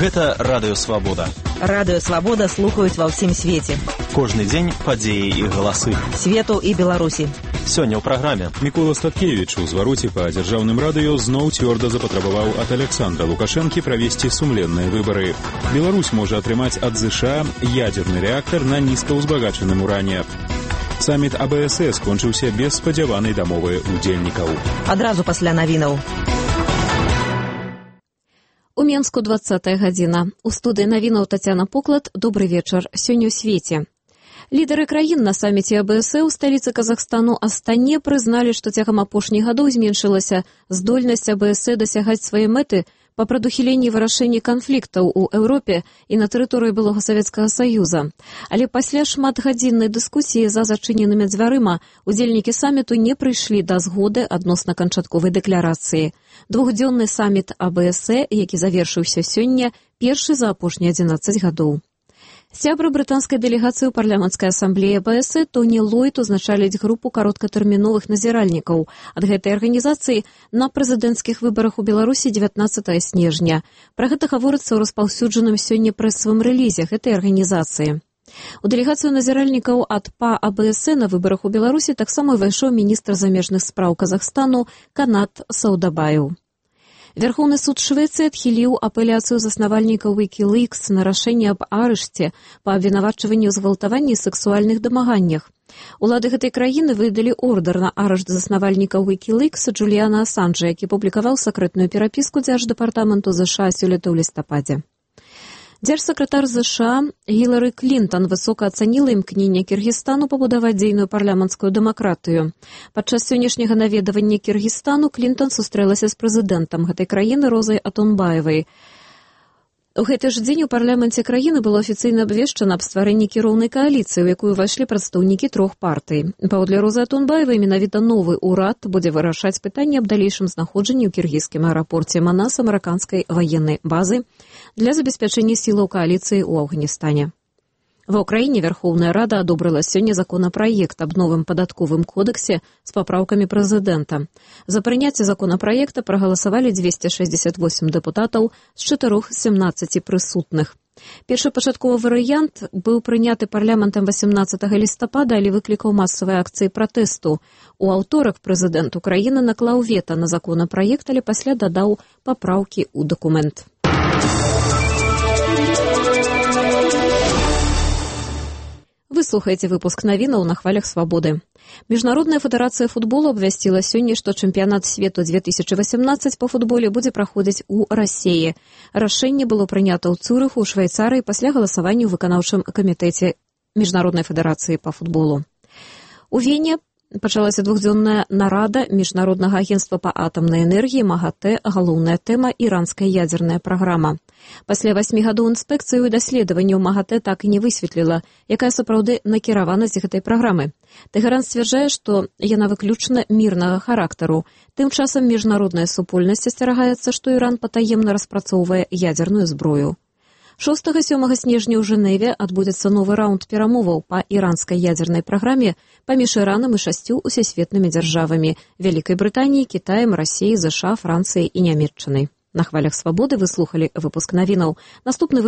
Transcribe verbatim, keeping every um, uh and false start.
Гэта Радыё Свабода. Радыё Свабода слухаюць ва ўсім свеце. Кожны дзень падзеі і галасы. Свету і Беларусі. Сёння ў праграме. Мікола Статкевіч у звароце па дзяржаўным радыё зноў цвёрда запатрабаваў ад Александра Лукашэнкі правесці сумленныя выбары. Беларусь можа атрымаць ад ЗША ядзерны рэактар на нізкаўзбагачаным уране. Саміт А Б С С скончыўся без спадзяванай дамовы удзельнікаў. Адразу пасля навінаў. У Менску двадцатая гадзіна. У студыі навінаў Тацяна Поклад. Добры вечар. Сёння ў свеце. Лідары краін на саміце А Б С С у сталіцы Казахстану Астане прызналі, што цягам апошніх гадоў зменшылася здольнасць А Б С С дасягаць свае мэты па прадухіленні вырашэння канфліктаў у Еўропе і на тэрыторыі былога Савецкага Саюза. Але пасля шматгадзіннай дыскусіі за зачыненымі дзвярыма удзельнікі саміту не прыйшлі да згоды адносна канчатковай дэкларацыі. Двухдзённы саміт А Б С С, які завершыўся сёння, першы за апошнія адзінаццаць гадоў. Сябры брытанскай дэлегацыі ў парламенцкай асамблеі А Б С С Тоні Ллойд узначаліць групу кароткатэрміновых назіральнікаў ад гэтай арганізацыі на прэзідэнцкіх выбарах у Беларусі дзевятнаццатага снежня. Пра гэта гаворыцца ў распаўсюджаным сёння прэсавым рэлізе гэтай арганізацыі. У дэлегацыю назіральнікаў ад П А А Б С С на выбарах у Беларусі таксама ўвайшоў міністр замежных спраў Казахстану Канат Саудабаев. Верховны суд Швецыі адхіліў апеляцыю заснавальнікаў Wikileaks на рашэнне аб арышце па абвінавачванні ў згвалтаванні і сексуальных дамаганнях. Улады гэтай краіны выдалі ордар на арышт заснавальніка Wikileaks Джуліяна Асанжа, які публікаваў сакрэтную перапіску дзярждэпартаменту ЗША сёлета ў лістападзе. Дзяржсакратар ЗША Гілары Клінтон высока ацаніла імкненне Кіргізстану пабудаваць дзейную парламенцкую дэмакратыю. Падчас сённяшняга наведавання Кіргізстану Клінтон сустрэлася з прэзідэнтам гэтай краіны Розай Атунбаевай. У гэты ж дзень у парламенце краіны было афіцыйна абвешчана аб стварэнні кіроўнай кааліцыі, у якую ўвайшлі прадстаўнікі трох партый. Паводле Розы Атунбаевай менавіта новы ўрад будзе вырашаць пытанне аб далейшым знаходжанні ў кіргізскім аэрапорце Манас амерыканскай ваеннай базы для забеспячэння сілаў кааліцыі ў Афганістане. Ва ўкраіне Верховная Рада адобрыла сёння законапраект аб новым падатковым кодексе з папраўкамі прэзідэнта. За прыняцце законапраекта прагаласавалі дзвесце шэсцьдзесят восем дэпутатаў з чатырох семнаццаці прысутных. Першапачатковы варыянт быў прыняты парламентам васямнаццатага лістапада, але выклікаў масавыя акцыі пратэсту. У аўторак прэзідэнт Украіны наклаў вета на законапраект, але пасля дадаў папраўкі ў дакумент. Вы слухаеце выпуск навінаў на хвалях Свабоды. Міжнародная федэрацыя футболу абвясціла сёння, што чэмпіянат свету две тысячы васямнаццаць па футболе будзе праходзіць у Расіі. Рашэнне было прынята ў Цюрыху, у Швейцарыі пасля галасавання ў выканаўчым камітэце Міжнароднай федэрацыі па футболу. У Вене пачалася двухдзённая нарада Міжнароднага агенцтва па атамнай энергіі МАГАТЭ, галоўная тэма іранская ядзерная праграма. Пасля васьмі гадоў інспекцыі і даследаванняў МАГАТЭ так і не высветліла, якая сапраўды накіраванасць гэтай праграмы. Тэхеран сцвярджае, што яна выключна мірнага характару. Тым часам міжнародная супольнасць асцерагаецца, што Іран патаемна распрацоўвае ядзерную зброю. шостага-сёмага снежня ў Жэневе адбудзецца новы раунд перамоваў па іранскай ядзернай праграме паміж Іранам і шасцю усесветнымі дзяржавамі – Вялікай Брытаніяй, Кітаем, Расіяй, ЗША, Францыяй і Нямецчынай. На хвалях Свабоды вы слухалі выпуск навінаў. Наступны